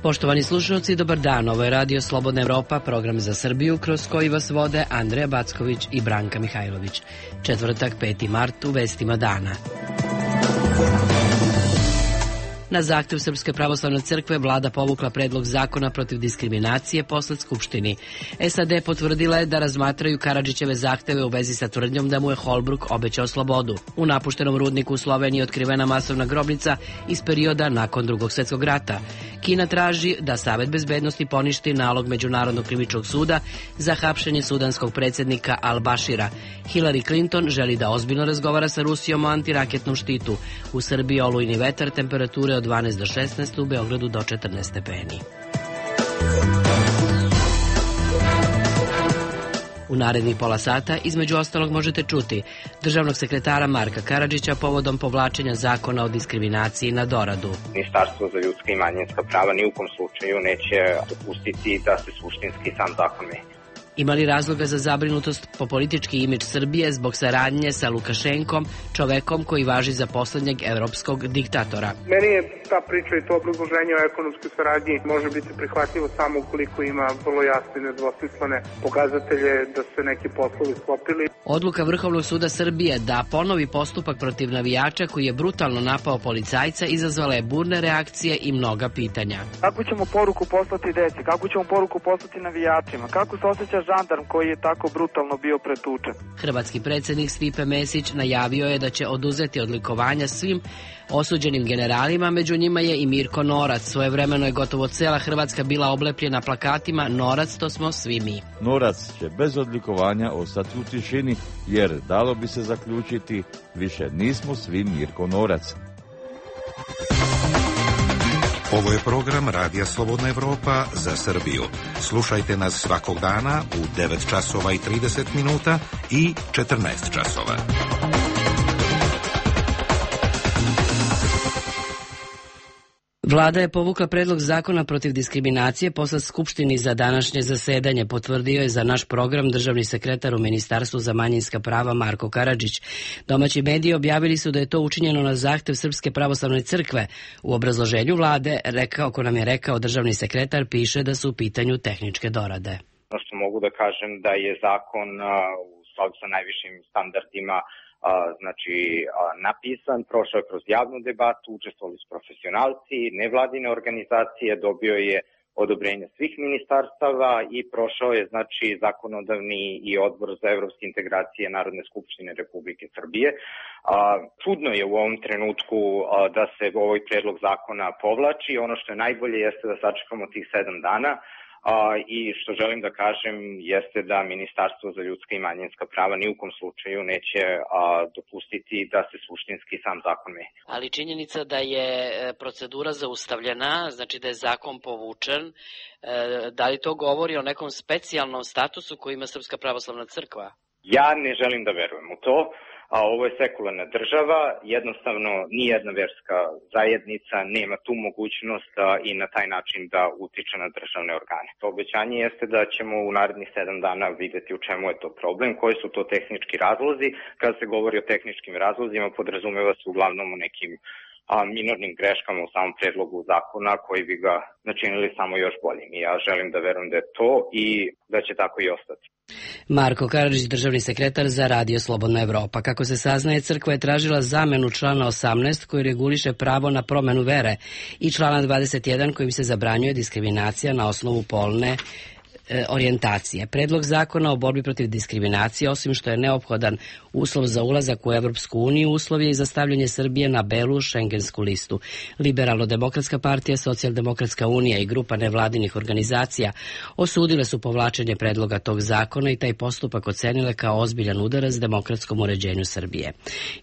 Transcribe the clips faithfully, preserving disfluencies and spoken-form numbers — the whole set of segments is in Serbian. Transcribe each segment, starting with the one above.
Poštovani slušalci, dobar dan. Ovo je Radio Slobodna Evropa, program za Srbiju kroz koji vas vode Andreja Backović i Branka Mihajlović. Četvrtak, peti mart, u vestima dana. Na zahtev Srpske pravoslavne crkve vlada povukla predlog zakona protiv diskriminacije poslat Skupštini. S A D potvrdila je da razmatraju Karadžićeve zahteve u vezi sa tvrdnjom da mu je Holbruk obećao slobodu. U napuštenom rudniku u Sloveniji otkrivena masovna grobnica iz perioda nakon Drugog svjetskog rata. Kina traži da Savet bezbednosti poništi nalog Međunarodnog krivičnog suda za hapšenje sudanskog predsjednika Al-Bašira. Hillary Clinton želi da ozbiljno razgovara sa Rusijom o antiraketnom štitu. U Srbiji olujni vetar, temperature od dvanaest do šesnaest, u Beogradu do četrnaest stepeni. U narednih pola sata, između ostalog, možete čuti državnog sekretara Marka Karadžića povodom povlačenja zakona o diskriminaciji na doradu. Ministarstvo za ljudska i manjinska prava ni u kom slučaju neće dopustiti da se suštinski sam zakon menja. Ima li razloga za zabrinutost po politički imidž Srbije zbog saradnje sa Lukašenkom, čovekom koji važi za poslednjeg evropskog diktatora? Meni je ta priča i to obrazloženje o ekonomskoj saradnji može biti prihvatljivo samo ukoliko ima vrlo jasne i nedvosmislene pokazatelje da se neki poslovi sklopili. Odluka Vrhovnog suda Srbije da ponovi postupak protiv navijača koji je brutalno napao policajca izazvala je burne reakcije i mnoga pitanja. Kako ćemo poruku poslati deci? Kako ćemo poruku poslati navijačima? Kako se osjeća žandarm koji je tako brutalno bio pretučen? Hrvatski predsjednik Stipe Mesić najavio je da će oduzeti odlikovanja svim osuđenim generalima, među njima je i Mirko Norac. Svojevremeno je gotovo cela Hrvatska bila oblepljena plakatima "Norac, to smo svi mi". Norac će bez odlikovanja ostati u tišini, jer dalo bi se zaključiti, više nismo svi Mirko Norac. Ovo je program Radija Slobodna Evropa za Srbiju. Slušajte nas svakog dana u devet časova i trideset minuta i četrnaest časova. Vlada je povukla predlog zakona protiv diskriminacije poslat Skupštini za današnje zasedanje, potvrdio je za naš program državni sekretar u Ministarstvu za manjinska prava Marko Karadžić. Domaći mediji objavili su da je to učinjeno na zahtev Srpske pravoslavne crkve. U obrazloženju vlade, rekao, ko nam je rekao državni sekretar, piše da su u pitanju tehničke dorade. Ono što mogu da kažem da je zakon u skladu sa najvišim standardima znači napisan, prošao je kroz javnu debatu, učestvovali su profesionalci, nevladine organizacije, dobio je odobrenje svih ministarstava i prošao je znači zakonodavni i odbor za evropske integracije Narodne skupštine Republike Srbije. Čudno je u ovom trenutku da se ovaj predlog zakona povlači. Ono što je najbolje jeste da sačekamo tih sedam dana. I što želim da kažem jeste da Ministarstvo za ljudska i manjinska prava ni u kom slučaju neće a, dopustiti da se suštinski sam zakon menja. Ali činjenica da je procedura zaustavljena, znači da je zakon povučen, e, da li to govori o nekom specijalnom statusu koji ima Srpska pravoslavna crkva? Ja ne želim da verujem u to. A ovo je sekularna država, jednostavno nijedna verska zajednica nema tu mogućnost a, i na taj način da utiče na državne organe. To obećanje jeste da ćemo u narednih sedam dana videti u čemu je to problem, koji su to tehnički razlozi. Kada se govori o tehničkim razlozima, podrazumeva se uglavnom u nekim a, minornim greškama u samom predlogu zakona koji bi ga načinili samo još boljim. I ja želim da verujem da je to i da će tako i ostati. Marko Karadžić, državni sekretar za Radio Slobodna Evropa. Kako se saznaje, crkva je tražila zamenu člana osamnaest koji reguliše pravo na promenu vere i člana dvadeset jedan kojim se zabranjuje diskriminacija na osnovu polne orijentacije. Predlog zakona o borbi protiv diskriminacije, osim što je neophodan uslov za ulazak u Evropsku uniju, uslov je i za stavljanje Srbije na belu šengensku listu. Liberalno-demokratska partija, Socijaldemokratska unija i grupa nevladinih organizacija osudile su povlačenje predloga tog zakona i taj postupak ocenile kao ozbiljan udarac demokratskom uređenju Srbije.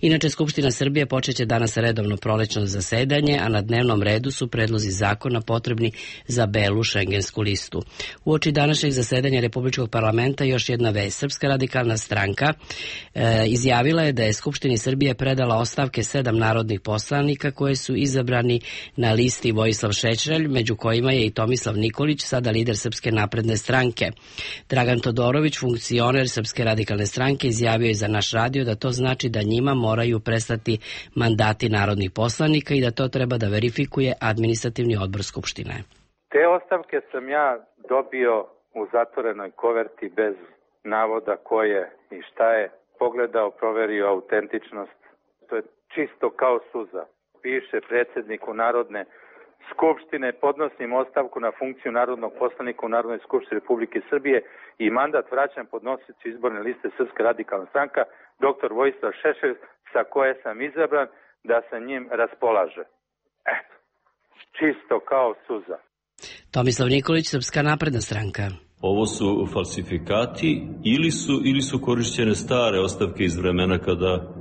Inače, Skupština Srbije počeće danas redovno prolećno zasedanje, a na dnevnom redu su predlozi zakona potrebni za belu šengensku listu. Uoči današnjeg zasedanja Republičkog parlamenta još jedna vest. Srpska radikalna stranka e, izjavila je da je Skupštini Srbije predala ostavke sedam narodnih poslanika koje su izabrani na listi Vojislav Šešelj, među kojima je i Tomislav Nikolić, sada lider Srpske napredne stranke. Dragan Todorović, funkcioner Srpske radikalne stranke, izjavio je za naš radio da to znači da njima moraju prestati mandati narodnih poslanika i da to treba da verifikuje administrativni odbor Skupštine. Te ostavke sam ja dobio u zatvorenoj koverti bez navoda ko je i šta je. Pogledao, proverio autentičnost. To je čisto kao suza. Piše predsjedniku Narodne skupštine, podnosim ostavku na funkciju narodnog poslanika u Narodnoj skupštini Republike Srbije i mandat vraćam podnosiocu izborne liste Srpska radikalna stranka, doktor Vojislav Šešelj, sa koje sam izabran da sa njim raspolaže. Eto, čisto kao suza. Tomislav Nikolić, Srpska napredna stranka. Ovo su falsifikati ili su, ili su korišćene stare ostavke iz vremena kada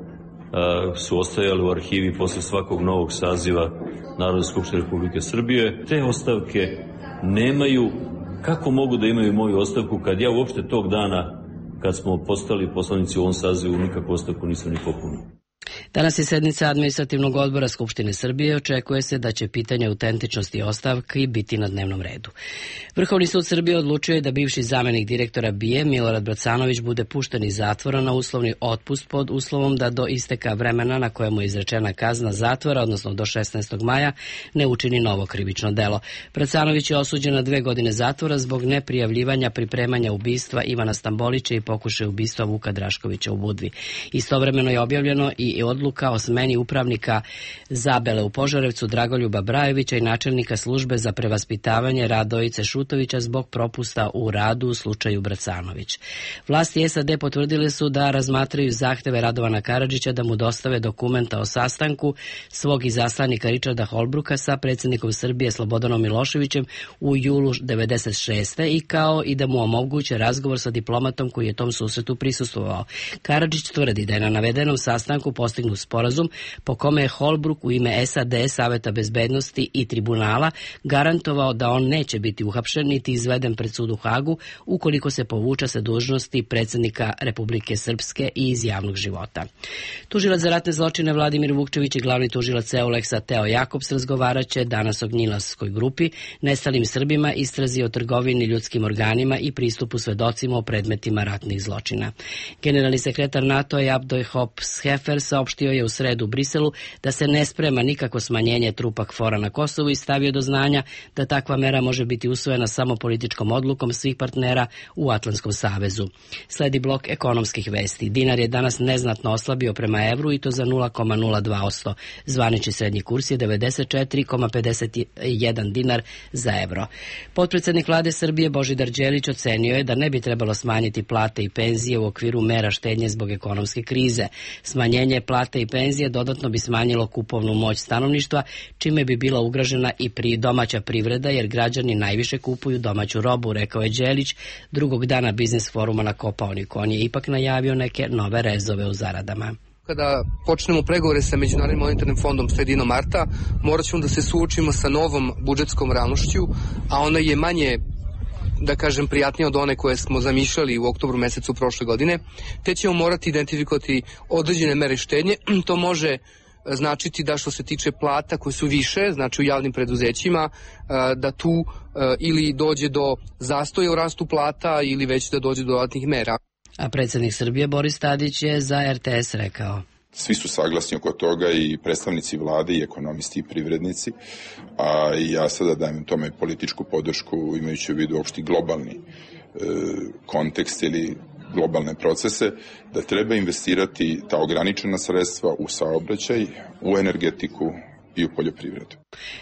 su ostajali u arhivi posle svakog novog saziva Narodne skupštine Republike Srbije. Te ostavke nemaju, kako mogu da imaju moju ostavku kad ja uopšte tog dana, kad smo postali poslanici u ovom sazivu, nikakvu ostavku nisam ni popunio. Danas je sednica Administrativnog odbora Skupštine Srbije. Očekuje se da će pitanje autentičnosti ostavki biti na dnevnom redu. Vrhovni sud Srbije odlučio je da bivši zamenik direktora B I A Milorad Bracanović bude pušten iz zatvora na uslovni otpust pod uslovom da do isteka vremena na kojemu je izrečena kazna zatvora, odnosno do šesnaestog maja, ne učini novo krivično delo. Bracanović je osuđen na dve godine zatvora zbog neprijavljivanja pripremanja ubistva Ivana Stambolića i pokušaja ubistva Vuka Draškovića u Budvi. Istovremeno je objavljeno i odluka o smeni upravnika Zabele u Požarevcu Dragoljuba Brajevića i načelnika službe za prevaspitavanje Radojice Šutovića zbog propusta u radu u slučaju Bracanović. Vlasti S A D potvrdile su da razmatraju zahteve Radovana Karadžića da mu dostave dokumenta o sastanku svog izaslanika Richarda Holbrooka sa predsjednikom Srbije Slobodanom Miloševićem u julu devedeset šeste i kao i da mu omoguće razgovor sa diplomatom koji je tom susretu prisustvovao. Karadžić tvrdi da je na navedenom sastanku postignut sporazum po kome je Holbrook u ime S A D, Saveta bezbednosti i tribunala garantovao da on neće biti uhapšen niti izveden pred sud u Hagu ukoliko se povuče sa dužnosti predsjednika Republike Srpske i iz javnog života. Tužilac za ratne zločine Vladimir Vukčević i glavni tužilac Euleksa Teo Jakobs razgovaraće danas o Gnjilanskoj grupi, nestalim Srbima, istrazi o trgovini ljudskim organima i pristupu svedocima o predmetima ratnih zločina. Generalni sekretar NATO-a Abdoj Hop Schaeffer saopštio je u sredu u Briselu da se ne sprema nikako smanjenje trupa KFOR-a na Kosovu i stavio do znanja da takva mera može biti usvojena samo političkom odlukom svih partnera u Atlantskom savezu. Sledi blok ekonomskih vesti. Dinar je danas neznatno oslabio prema evru i to za nula zarez nula dva posto. Zvanični srednji kurs je devedeset četiri zarez pedeset jedan dinar za evro. Potpredsednik vlade Srbije Božidar Đelić ocenio je da ne bi trebalo smanjiti plate i penzije u okviru mera štednje zbog ekonomske krize. Smanjenje plate i penzije dodatno bi smanjilo kupovnu moć stanovništva, čime bi bila ugrožena i pri domaća privreda, jer građani najviše kupuju domaću robu, rekao je Đelić drugog dana biznis foruma na Kopaoniku. On je ipak najavio neke nove rezove u zaradama. Kada počnemo pregovore sa Međunarodnim monetarnim fondom sredinom marta, morat ćemo da se suočimo sa novom budžetskom realnošću, a ona je manje, da kažem, prijatnija od one koje smo zamišljali u oktobru mesecu prošle godine, te ćemo morati identifikovati određene mere štednje. To može značiti da što se tiče plata koje su više, znači u javnim preduzećima, da tu ili dođe do zastoja u rastu plata ili već da dođe do dodatnih mera. A predsjednik Srbije Boris Tadić je za R T S rekao: Svi su saglasni oko toga, i predstavnici vlade i ekonomisti i privrednici, a ja sada dajem tome političku podršku imajući u vidu opšti globalni e, kontekst ili globalne procese, da treba investirati ta ograničena sredstva u saobraćaj, u energetiku i u poljoprivredu.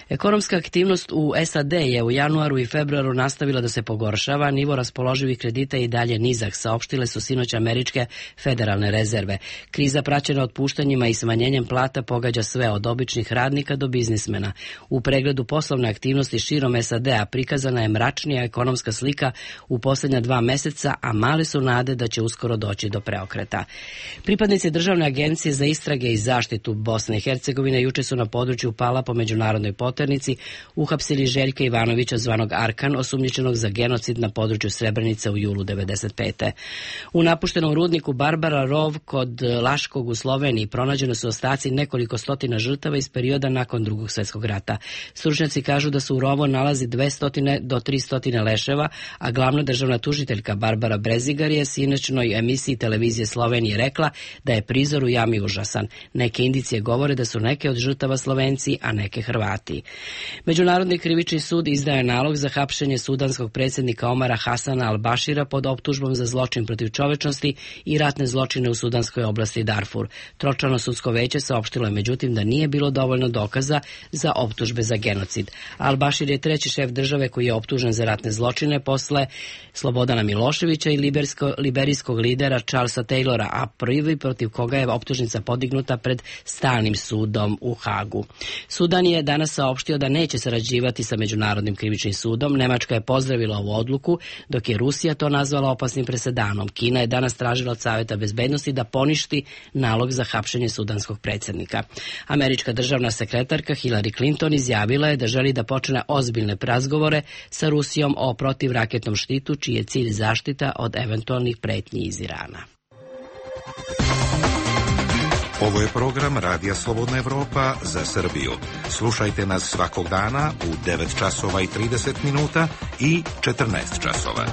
Ekonomska aktivnost u S A D je u januaru i februaru nastavila da se pogoršava, nivo raspoloživih kredita je i dalje nizak, saopštile su sinoć američke federalne rezerve. Kriza praćena otpuštanjima i smanjenjem plata pogađa sve od običnih radnika do biznismena. U pregledu poslovne aktivnosti širom S A D-a prikazana je mračnija ekonomska slika u posljednja dva meseca, a male su nade da će uskoro doći do preokreta. Pripadnici Državne agencije za istrage i zaštitu Bosne i Hercegovine juče su na području Pala po međunarodnoj poternici uhapsili Željka Ivanovića zvanog Arkan, osumnjičenog za genocid na području Srebrenice u julu devedeset pete. U napuštenom rudniku Barbara Rov kod Laškog u Sloveniji pronađeni su ostaci nekoliko stotina žrtava iz perioda nakon Drugog svjetskog rata. Stručnjaci kažu da se u rovu nalazi dvesta do trista leševa, a glavna državna tužiteljka Barbara Brezigar je sinoćnoj emisiji televizije Slovenije rekla da je prizor u jami užasan. Neke indicije govore da su neke od žrtava Slovenije Slovenci, a neke Hrvati. Međunarodni krivični sud izdaje je nalog za hapšenje sudanskog predsjednika Omara Hasana al-Bashira pod optužbom za zločin protiv čovečnosti i ratne zločine u sudanskoj oblasti Darfur. Tročlano sudsko veće saopštilo je međutim da nije bilo dovoljno dokaza za optužbe za genocid. Al-Bashir je treći šef države koji je optužen za ratne zločine posle Slobodana Miloševića i liberijsko, liberijskog lidera Charlesa Taylora, a prvi protiv koga je optužnica podignuta pred stalnim sudom u Hagu. Sudan je danas saopštio da neće sarađivati sa Međunarodnim krivičnim sudom. Nemačka je pozdravila ovu odluku, dok je Rusija to nazvala opasnim presedanom. Kina je danas tražila od Saveta bezbednosti da poništi nalog za hapšenje sudanskog predsjednika. Američka državna sekretarka Hillary Clinton izjavila je da želi da počne ozbiljne razgovore sa Rusijom o protivraketnom štitu, čiji je cilj zaštita od eventualnih pretnji iz Irana. Ovo je program Radija Slobodna Evropa za Srbiju. Slušajte nas svakog dana u devet časova i trideset minuta i četrnaest časova.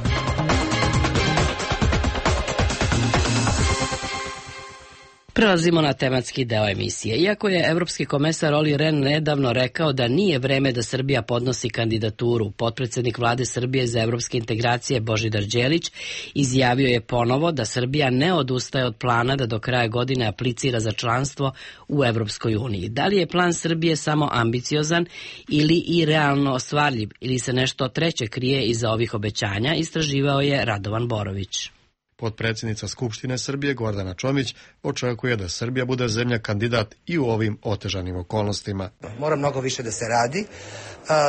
Prelazimo na tematski deo emisije. Iako je evropski komesar Olli Rehn nedavno rekao da nije vreme da Srbija podnosi kandidaturu, potpredsednik vlade Srbije za evropske integracije Božidar Đelić izjavio je ponovo da Srbija ne odustaje od plana da do kraja godine aplicira za članstvo u Evropskoj uniji. Da li je plan Srbije samo ambiciozan ili i realno ostvarljiv, ili se nešto treće krije iza ovih obećanja, istraživao je Radovan Borović. Potpredsjednica Skupštine Srbije Gordana Čomić očekuje da Srbija bude zemlja kandidat i u ovim otežanim okolnostima. Mora mnogo više da se radi.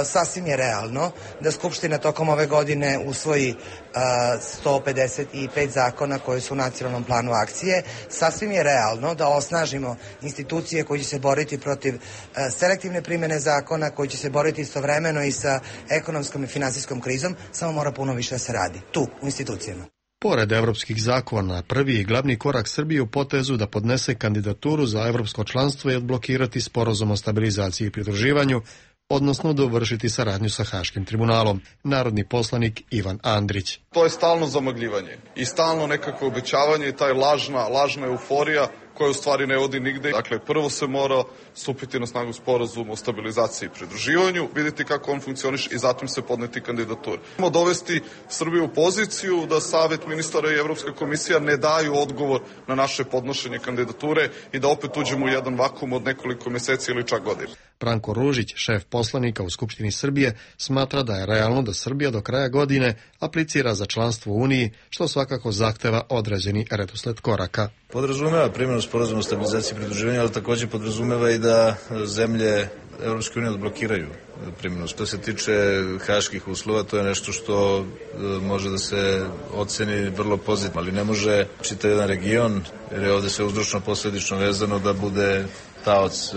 Sasvim je realno da Skupština tokom ove godine usvoji sto pedeset pet zakona koji su u nacionalnom planu akcije. Sasvim je realno da osnažimo institucije koje će se boriti protiv selektivne primjene zakona, koji će se boriti istovremeno i sa ekonomskom i finansijskom krizom. Samo mora puno više da se radi tu, u institucijama. Pored evropskih zakona, prvi i glavni korak Srbije u potezu da podnese kandidaturu za evropsko članstvo je odblokirati sporazum o stabilizaciji i pridruživanju, odnosno dovršiti saradnju sa Haškim tribunalom. Narodni poslanik Ivan Andrić. To je stalno zamagljivanje i stalno nekako obećavanje i taj lažna, lažna euforija koja u stvari ne vodi nigde. Dakle, prvo se mora stupiti na snagu sporazum o stabilizaciji i pridruživanju, vidjeti kako on funkcioniše i zatim se podneti kandidatur. Moramo dovesti Srbiju u poziciju da Savet ministara i Evropska komisija ne daju odgovor na naše podnošenje kandidature i da opet uđemo u jedan vakum od nekoliko mjeseci ili čak godina. Branko Ružić, šef poslanika u Skupštini Srbije, smatra da je realno da Srbija do kraja godine aplicira za članstvo u Uniji, što svakako zahteva određeni redosled koraka. Podrazumeva primjenu sporazuma o stabilizaciji i pridruživanju, ali također podrazumeva i da zemlje Evropske unije odblokiraju primjenu. Što se tiče haških uslova, to je nešto što može da se oceni vrlo pozitivno, ali ne može čitav jedan region, jer je ovdje sve uzročno posledično vezano, da bude taoc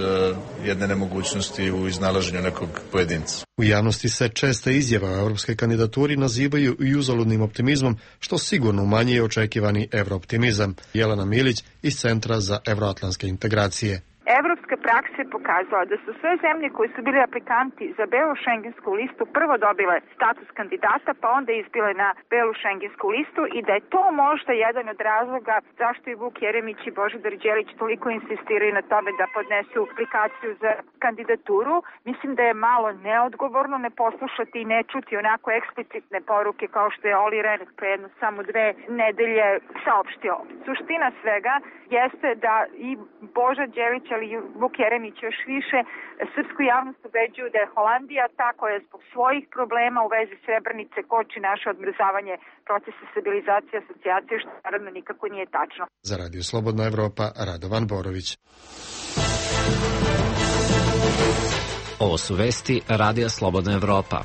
jedne nemogućnosti u iznalaženju nekog pojedinca. U javnosti se česte izjava o evropskoj kandidaturi nazivaju i uzaludnim optimizmom, što sigurno umanjuje očekivani evrooptimizam. Jelena Milić iz Centra za evroatlantske integracije. Evropska praksa je pokazala da su sve zemlje koji su bili aplikanti za belu šengensku listu prvo dobile status kandidata, pa onda izbile na belu šengensku listu, i da je to možda jedan od razloga zašto i Vuk Jeremić i Božidar Đelić toliko insistiraju na tome da podnesu aplikaciju za kandidaturu. Mislim da je malo neodgovorno ne poslušati i ne čuti onako eksplicitne poruke kao što je Olli Rehn pre jedno samo dve nedelje saopštio. Suština svega jeste da i Boža Đelić, ali i Vuk Jeremić još više srpsku javnost ubeđuju da je Holandija ta koja je zbog svojih problema u vezi Srebrenice koči naše odmrzavanje procesa stabilizacije i asocijacije, što naravno nikako nije tačno. Za Radio Slobodna Evropa, Radovan Borović. Ovo su vesti Radija Slobodna Evropa.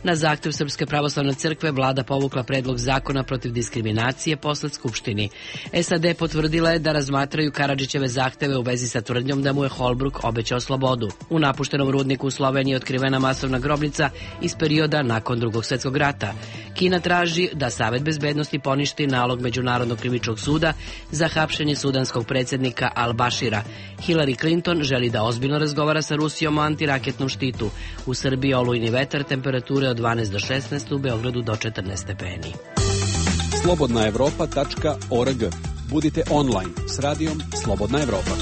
Na zahtev Srpske pravoslavne crkve vlada povukla predlog zakona protiv diskriminacije posled Skupštini. S A D potvrdila je da razmatraju Karadžićeve zahteve u vezi sa tvrdnjom da mu je Holbruk obećao slobodu. U napuštenom rudniku u Sloveniji otkrivena masovna grobnica iz perioda nakon Drugog svjetskog rata. Kina traži da Savet bezbednosti poništi nalog Međunarodnog krivičnog suda za hapšenje sudanskog predsjednika Al-Bashira. Hillary Clinton želi da ozbiljno razgovara sa Rusijom o antiraketnom štitu. U Srbiji olujni vetar, temperature od dvanaest do šesnaest, u Beogradu do četrnaest stepeni. slobodna evropa tačka org Budite online s radijom Slobodna Evropa.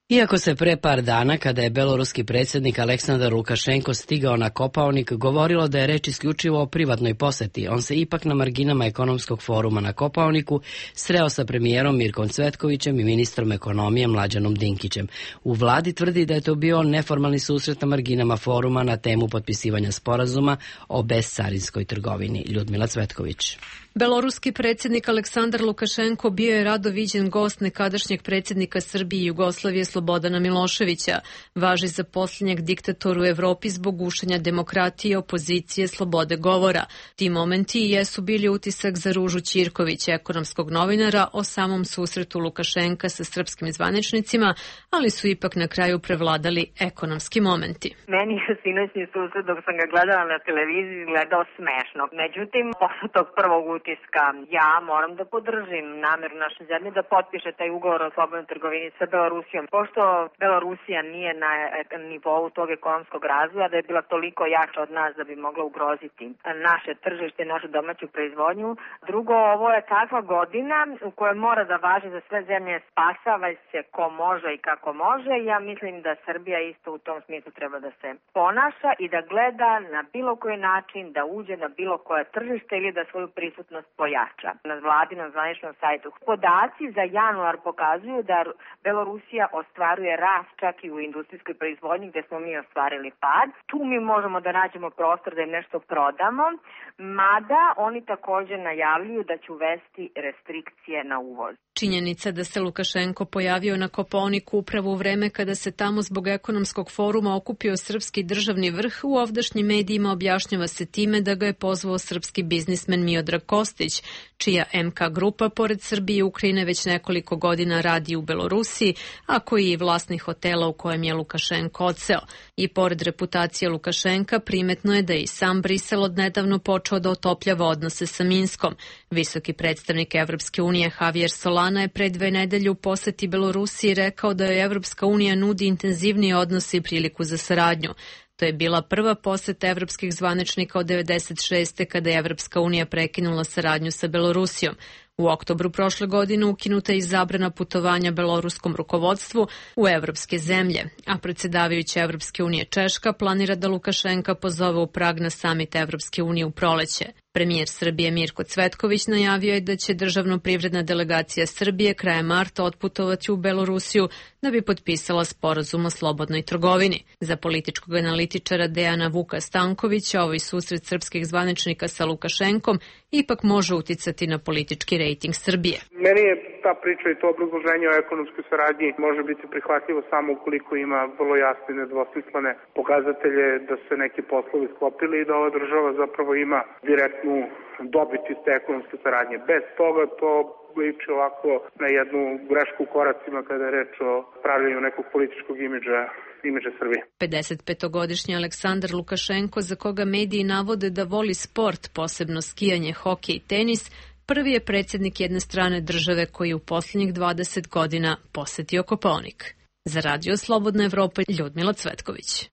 Iako se pre par dana, kada je beloruski predsjednik Aleksandar Lukašenko stigao na Kopaonik, govorilo da je reč isključivo o privatnoj poseti, on se ipak na marginama ekonomskog foruma na Kopaoniku sreo sa premijerom Mirkom Cvetkovićem i ministrom ekonomije Mlađanom Dinkićem. U vladi tvrdi da je to bio neformalni susret na marginama foruma na temu potpisivanja sporazuma o bescarinskoj trgovini. Ljudmila Cvetković. Beloruski predsjednik Aleksandar Lukašenko bio je rado viđen gost nekadašnjeg predsjednika Srbije i Jugoslavije Slobodana Miloševića. Važi za posljednjeg diktatora u Evropi zbog gušenja demokratije, opozicije, slobode govora. Ti momenti jesu bili utisak za Ružu Ćirković, ekonomskog novinara, o samom susretu Lukašenka sa srpskim zvaničnicima, ali su ipak na kraju prevladali ekonomski momenti. Meni je sinoćni susret dok sam ga gledala na televiziji gledao smešno. Međutim, posle tog prvog utiska ja moram da podržim nameru naše zemlje da potpiše taj ugovor o slobodnoj trgovini sa Belorusijom. Pošto Belorusija nije na nivou tog ekonomskog razvoja da je bila toliko jača od nas da bi mogla ugroziti naše tržište, našu domaću proizvodnju. Drugo, ovo je takva godina u kojoj mora da važi za sve zemlje, spasava se ko može i kako može. Ja mislim da Srbija isto u tom smislu treba da se ponaša i da gleda na bilo koji način da uđe na bilo koje tržište ili da svoju prisutnost pojača. Na vladinom zvaničnom sajtu podaci za januar pokazuju da Belorusija ostvaruje rast čak i u industrijskoj proizvodnji gde smo mi ostvarili pad. Tu mi možemo da nađemo prostor da im nešto prodamo, mada oni također najavljuju da će uvesti restrikcije na uvoz. Činjenica da se Lukašenko pojavio na Kopaoniku upravo u vreme kada se tamo zbog ekonomskog foruma okupio srpski državni vrh u ovdašnjim medijima objašnjava se time da ga je pozvao srpski biznismen Miodrag Kostić, čija M K grupa pored Srbije i Ukrajine već nekoliko godina radi u Belorusiji, a koji je i vlasnik hotela u kojem je Lukašenko odseo. I pored reputacije Lukašenka primetno je da je i sam Brisel odnedavno počeo da otopljava odnose sa Minskom. Visoki predstavnik Evropske unije Javier Solana je pre dve nedelje u poseti Belorusiji rekao da joj Evropska unija nudi intenzivnije odnose i priliku za saradnju. To je bila prva poseta evropskih zvaničnika od devedeset šeste kada je Evropska unija prekinula saradnju sa Belorusijom. U oktobru prošle godine ukinuta je i zabrana putovanja beloruskom rukovodstvu u evropske zemlje, a predsjedavajuća Evropske unije Češka planira da Lukašenka pozove u Prag na samit Evropske unije u proleće. Premijer Srbije Mirko Cvetković najavio je da će državno-privredna delegacija Srbije krajem marta otputovati u Belorusiju da bi potpisala sporazum o slobodnoj trgovini. Za političkog analitičara Dejana Vuka Stankovića ovaj susret srpskih zvaničnika sa Lukašenkom ipak može uticati na politički rejting Srbije. Meni je ta priča i to obrazloženje o ekonomskoj saradnji može biti prihvatljivo samo ukoliko ima vrlo jasne i nedvosmislene pokazatelje da se neki poslovi sklopili i da ova država zapravo ima direktnu dobit iz te ekonomske saradnje. Bez toga to liči ovako na jednu grešku u koracima kada je reč o pravljenju nekog političkog imidža imidža Srbije. pedesetpetogodišnji Aleksandar Lukašenko, za koga mediji navode da voli sport, posebno skijanje, hokej i tenis, prvi je predsjednik jedne strane države koji je u posljednjih dvadeset godina posetio Kopaonik. Za Radio Slobodna Evropa, Ljudmila Cvetković.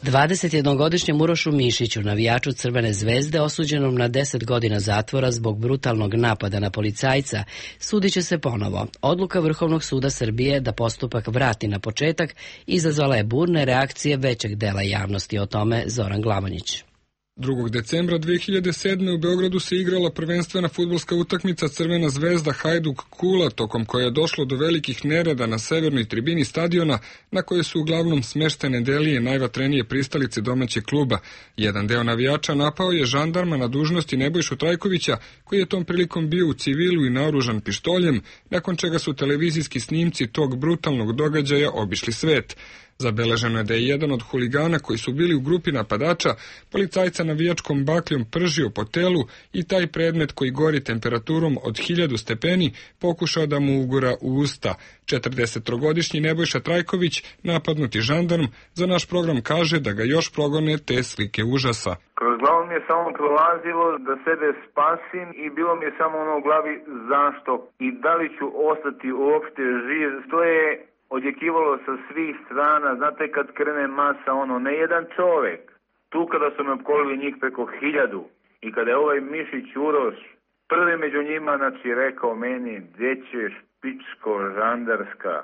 dvadesetjednogodišnjem Urošu Mišiću, navijaču Crvene zvezde, osuđenom na deset godina zatvora zbog brutalnog napada na policajca, sudit će se ponovo. Odluka Vrhovnog suda Srbije da postupak vrati na početak izazvala je burne reakcije većeg dela javnosti. O tome Zoran Glavonjić. drugog decembra dve hiljade sedme. u Beogradu se igrala prvenstvena fudbalska utakmica Crvena zvezda Hajduk Kula, tokom koje je došlo do velikih nereda na severnoj tribini stadiona, na kojoj su uglavnom smeštene delije najvatrenije pristalice domaćeg kluba. Jedan deo navijača napao je žandarma na dužnosti Nebojšu Trajkovića, koji je tom prilikom bio u civilu i naoružan pištoljem, nakon čega su televizijski snimci tog brutalnog događaja obišli svet. Zabeleženo je da je jedan od huligana koji su bili u grupi napadača policajca navijačkom bakljom pržio po telu i taj predmet koji gori temperaturom od hiljadu stepeni pokušao da mu ugura u usta. četrdesettrogodišnji Nebojša Trajković, napadnuti žandarm, za naš program kaže da ga još progone te slike užasa. Kroz glavu mi je samo prolazilo da sebe spasim i bilo mi je samo ono u glavi zašto i da li ću ostati uopšte živ. To je odjekivalo sa svih strana, znate kad krene masa, ono, ne jedan čovjek, Tu kada su me opkolili njih preko hiljadu i kada je ovaj Mišić Uroš prvi među njima, znači, rekao meni, gdje ćeš, pičko žandarska.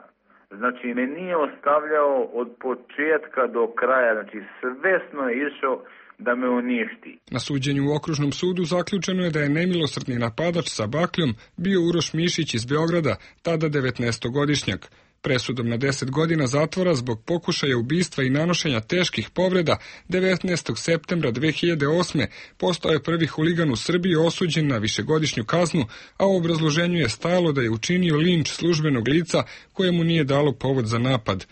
Znači, me nije ostavljao od početka do kraja, znači, svesno je išao da me uništi. Na suđenju u Okružnom sudu zaključeno je da je nemilosrdni napadač sa bakljom bio Uroš Mišić iz Beograda, tada devetnaestogodišnjak. Presudom na deset godina zatvora zbog pokušaja ubistva i nanošenja teških povreda devetnaestog septembra dve hiljade osme postao je prvi huligan u Srbiji osuđen na višegodišnju kaznu, a u obrazloženju je stajalo da je učinio linč službenog lica kojemu nije dalo povod za napad.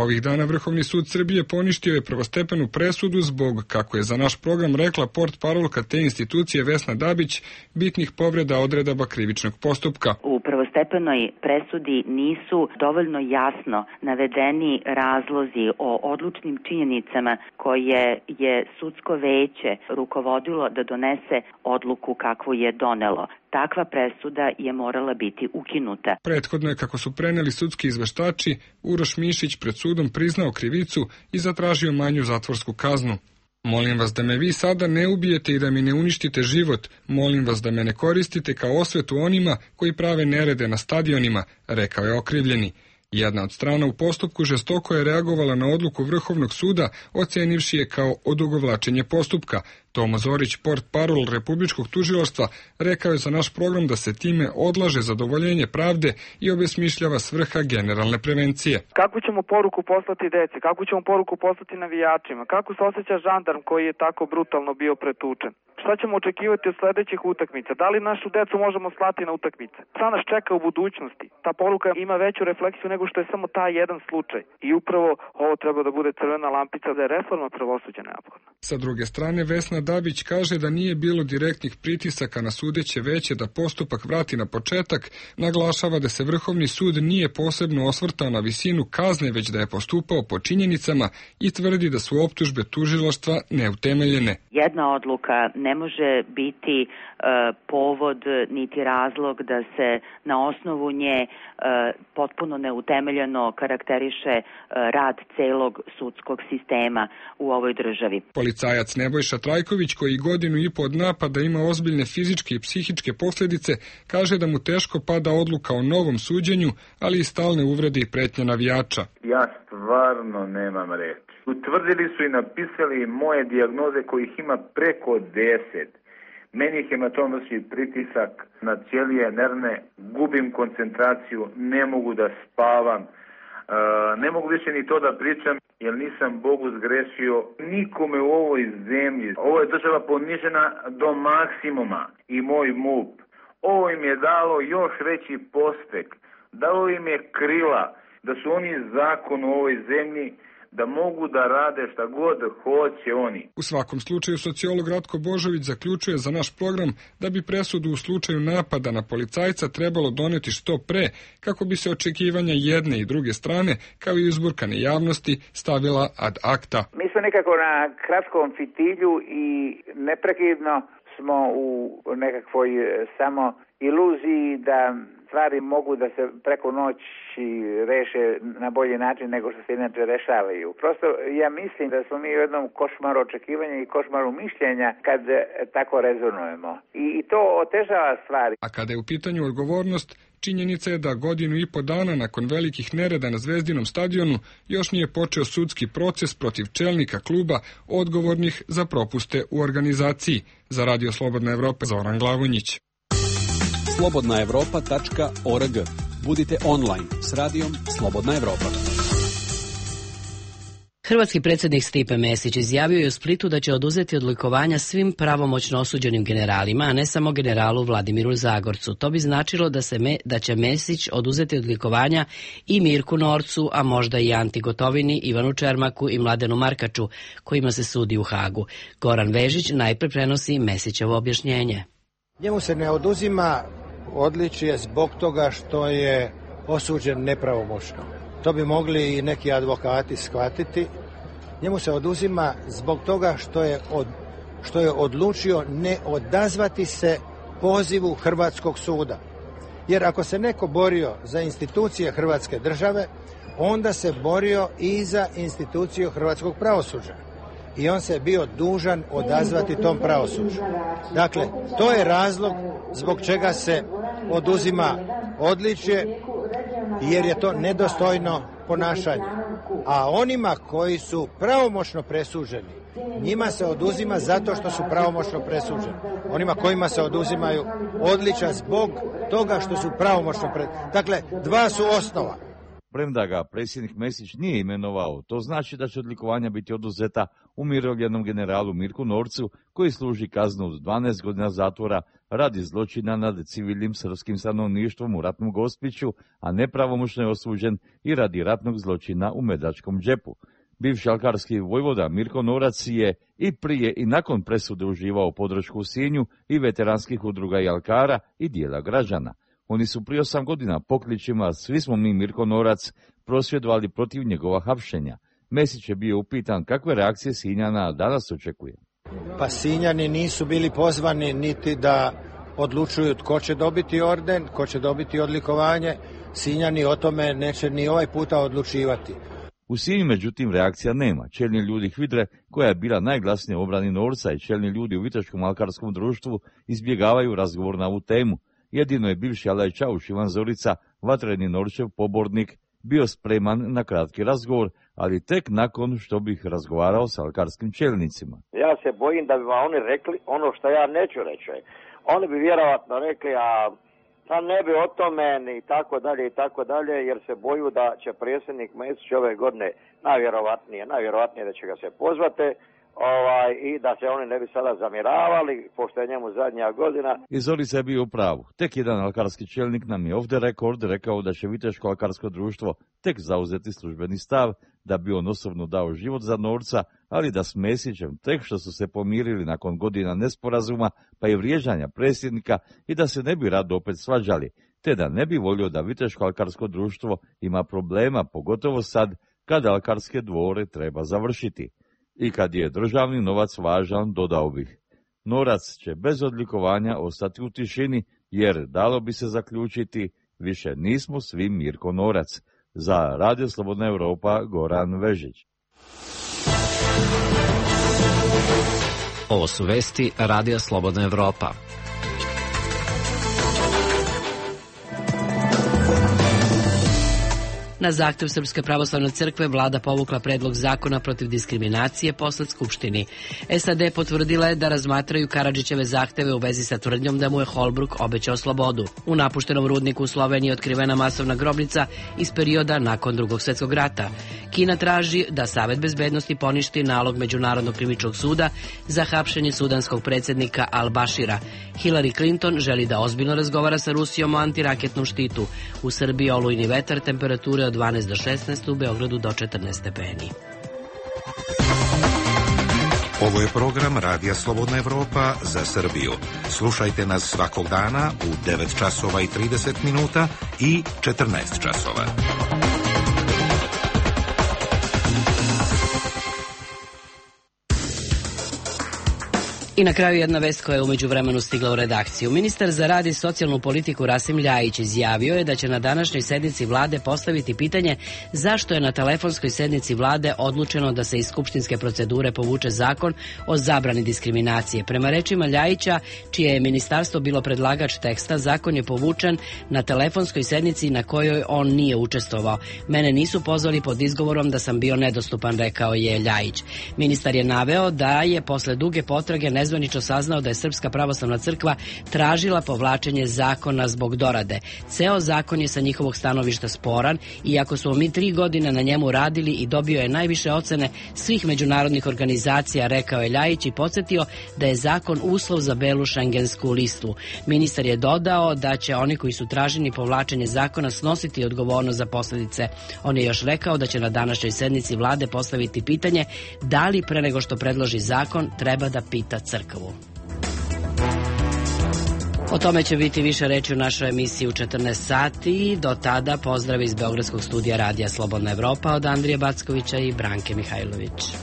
Ovih dana Vrhovni sud Srbije poništio je prvostepenu presudu zbog, kako je za naš program rekla portparolka te institucije Vesna Dabić, bitnih povreda odredaba krivičnog postupka. U prvostepenoj presudi nisu dovoljno jasno navedeni razlozi o odlučnim činjenicama koje je sudsko veće rukovodilo da donese odluku kakvu je donelo. Takva presuda je morala biti ukinuta. Prethodno je, kako su preneli sudski izveštači, Uroš Mišić pred sudom priznao krivicu i zatražio manju zatvorsku kaznu. Molim vas da me vi sada ne ubijete i da mi ne uništite život. Molim vas da me ne koristite kao osvetu onima koji prave nerede na stadionima, rekao je okrivljeni. Jedna od strana u postupku žestoko je reagovala na odluku Vrhovnog suda, ocenivši je kao odugovlačenje postupka. Tomo Zorić, portparol Republičkog tužilaštva, rekao je za naš program da se time odlaže zadovoljenje pravde i obesmišljava svrha generalne prevencije. Kako ćemo poruku poslati deci? Kako ćemo poruku poslati navijačima? Kako se osjeća žandarm koji je tako brutalno bio pretučen? Šta ćemo očekivati od sledećih utakmica? Da li našu decu možemo slati na utakmice? Šta nas čeka u budućnosti? Ta poruka ima veću refleksiju nego što je samo taj jedan slučaj. I upravo ovo treba da bude crvena lampica da je reforma pravosuđa neophodna. Sa druge strane, Vesna Dabić kaže da nije bilo direktnih pritisaka na sudeće veće da postupak vrati na početak, naglašava da se Vrhovni sud nije posebno osvrtao na visinu kazne, već da je postupao po činjenicama i tvrdi da su optužbe tužilaštva neutemeljene. Jedna odluka ne može biti e, povod niti razlog da se na osnovu nje e, potpuno neutemeljeno karakteriše e, rad celog sudskog sistema u ovoj državi. Policajac Nebojša Trajković, koji godinu i po od napada ima ozbiljne fizičke i psihičke posljedice, kaže da mu teško pada odluka o novom suđenju, ali i stalne uvrede i pretnje navijača. Ja stvarno nemam reči. Utvrdili su i napisali moje dijagnoze kojih ima preko deset. Meni je hematomatski pritisak na ćelije nervne, gubim koncentraciju, ne mogu da spavam, e, ne mogu više ni to da pričam jer nisam Bogu zgrešio nikome u ovoj zemlji. Ovo je država ponižena do maksimuma i moj M U P. Ovo im je dalo još veći pospeh, dalo im je krila da su oni zakon u ovoj zemlji, da mogu da rade šta god hoće oni. U svakom slučaju, sociolog Ratko Božović zaključuje za naš program da bi presudu u slučaju napada na policajca trebalo doneti što pre, kako bi se očekivanja jedne i druge strane, kao i uzburkane javnosti, stavila ad acta. Mi smo nekako na kratkom fitilju i neprekidno smo u nekakvoj samo iluziji da stvari mogu da se preko noći reše na bolji način nego što se inače rešavaju. Prosto ja mislim da smo mi u jednom košmaru očekivanja i košmaru mišljenja kad tako rezonujemo. I to otežava stvari. A kada je u pitanju odgovornost, činjenica je da godinu i po dana nakon velikih nereda na Zvezdinom stadionu još nije počeo sudski proces protiv čelnika kluba odgovornih za propuste u organizaciji. Za Radio Slobodna Evropa, Zoran Glavonjić. slobodna evropa tačka org. Budite online s radijom Slobodna Evropa. Hrvatski predsjednik Stipe Mesić izjavio je u Splitu da će oduzeti odlikovanja svim pravomoćno osuđenim generalima, a ne samo generalu Vladimiru Zagorcu. To bi značilo da, se me, da će Mesić oduzeti odlikovanja i Mirku Norcu, a možda i Anti Gotovini, Ivanu Čermaku i Mladenu Markaču, kojima se sudi u Hagu. Goran Vežić najpre prenosi Mesićevo objašnjenje. Njemu se ne oduzima odličje zbog toga što je osuđen nepravomoćno. To bi mogli i neki advokati shvatiti. Njemu se oduzima zbog toga što je, od, što je odlučio ne odazvati se pozivu Hrvatskog suda. Jer ako se neko borio za institucije Hrvatske države, onda se borio i za instituciju hrvatskog pravosuđa. i on se bio dužan odazvati tom pravosuđu. Dakle, to je razlog zbog čega se oduzima odličje, jer je to nedostojno ponašanje. A onima koji su pravomoćno presuđeni, njima se oduzima zato što su pravomoćno presuđeni. Onima kojima se oduzimaju odličja zbog toga što su pravomoćno presuđeni. Dakle, dva su osnova. Premda ga predsjednik Mesić nije imenovao, to znači da će odlikovanja biti oduzeta umirovljenom generalu Mirku Norcu, koji služi kaznu od dvanaest godina zatvora radi zločina nad civilnim srpskim stanovništvom u ratnom Gospiću, a nepravomoćno je osuđen i radi ratnog zločina u Medačkom džepu. Bivši alkarski vojvoda Mirko Norac je i prije i nakon presude uživao podršku u Sinju i veteranskih udruga i alkara i dijela građana. Oni su prije osam godina pokličima "Svi smo mi Mirko Norac" prosvjedovali protiv njegova hapšenja. Mesić je bio upitan kakve reakcije Sinjana danas očekuje. Pa Sinjani nisu bili pozvani niti da odlučuju tko će dobiti orden, ko će dobiti odlikovanje. Sinjani o tome neće ni ovaj puta odlučivati. U Sinju, međutim, reakcija nema. Čelni ljudi Hvidre, koja je bila najglasnija u obrani Norca, i čelni ljudi u Viteškom alkarskom društvu izbjegavaju razgovor na ovu temu. Jedino je bivši Alaj Čauš Ivan Zorica, vatreni Norčev pobornik, bio spreman na kratki razgovor, ali tek nakon što bih razgovarao s alkarskim čelnicima. Ja se bojim da bi vam oni rekli ono što ja neću reći. Oni bi vjerovatno rekli, a, a ne bi o tome i tako dalje i tako dalje, jer se boju da će predsjednik Mesić ove godine najvjerovatnije, najvjerovatnije da će ga se pozvati, Ovaj, i da se oni ne bi sada zamiravali, pošto je njemu zadnja godina. I Zorica je bio u pravu. Tek jedan alkarski čelnik nam je ovdje rekord rekao da će Viteško alkarsko društvo tek zauzeti službeni stav, da bi on osobno dao život za Norca, ali da s Mesićem tek što su se pomirili nakon godina nesporazuma pa i vrijeđanja predsjednika i da se ne bi rado opet svađali, te da ne bi volio da Viteško alkarsko društvo ima problema, pogotovo sad kada alkarske dvore treba završiti. I kad je državni novac važan, dodao bih, Norac će bez odlikovanja ostati u tišini, jer dalo bi se zaključiti, više nismo svi Mirko Norac. Za Radio Slobodna Evropa, Goran Vežić. Ovo su vesti Radio Slobodna Evropa. Na zahtev Srpske pravoslavne crkve vlada povukla predlog zakona protiv diskriminacije posled Skupštini. S A D potvrdila je da razmatraju Karadžićeve zahteve u vezi sa tvrdnjom da mu je Holbruk obećao slobodu. U napuštenom rudniku u Sloveniji je otkrivena masovna grobnica iz perioda nakon Drugog svjetskog rata. Kina traži da Savet bezbednosti poništi nalog Međunarodnog krivičnog suda za hapšenje sudanskog predsjednika Al-Bashira. Hillary Clinton želi da ozbiljno razgovara sa Rusijom o antiraketnom štitu. U Srbiji olujni vetar, temperature od dvanaest do šesnaest, u Beogradu do četrnaest stepeni. Ovo je program Radija Slobodna Evropa za Srbiju. Slušajte nas svakog dana u devet časova i trideset minuta i četrnaest časova. I na kraju jedna vest koja je umeđu vremenu stigla u redakciju. Ministar za rad i socijalnu politiku Rasim Ljajić izjavio je da će na današnjoj sednici vlade postaviti pitanje zašto je na telefonskoj sednici vlade odlučeno da se iz skupštinske procedure povuče zakon o zabrani diskriminacije. Prema rečima Ljajića, čije je ministarstvo bilo predlagač teksta, zakon je povučen na telefonskoj sednici na kojoj on nije učestvovao. Mene nisu pozvali pod izgovorom da sam bio nedostupan, rekao je Ljajić. Ministar je naveo da je posle duge potrage ne nezvanično saznao da je Srpska pravoslavna crkva tražila povlačenje zakona zbog dorade. Ceo zakon je sa njihovog stanovišta sporan, iako smo mi tri godine na njemu radili i dobio je najviše ocene svih međunarodnih organizacija, rekao je Ljajić i podsjetio da je zakon uslov za belu šengensku listu. Ministar je dodao da će oni koji su tražili povlačenje zakona snositi odgovornost za posljedice. On je još rekao da će na današnjoj sednici vlade postaviti pitanje da li pre nego što predloži zakon treba da pita crkvu. O tome će biti više reći u našoj emisiji u četrnaest sati. Do tada pozdrav iz Beogradskog studija Radija Slobodna Evropa od Andrije Backovića i Branke Mihajlović.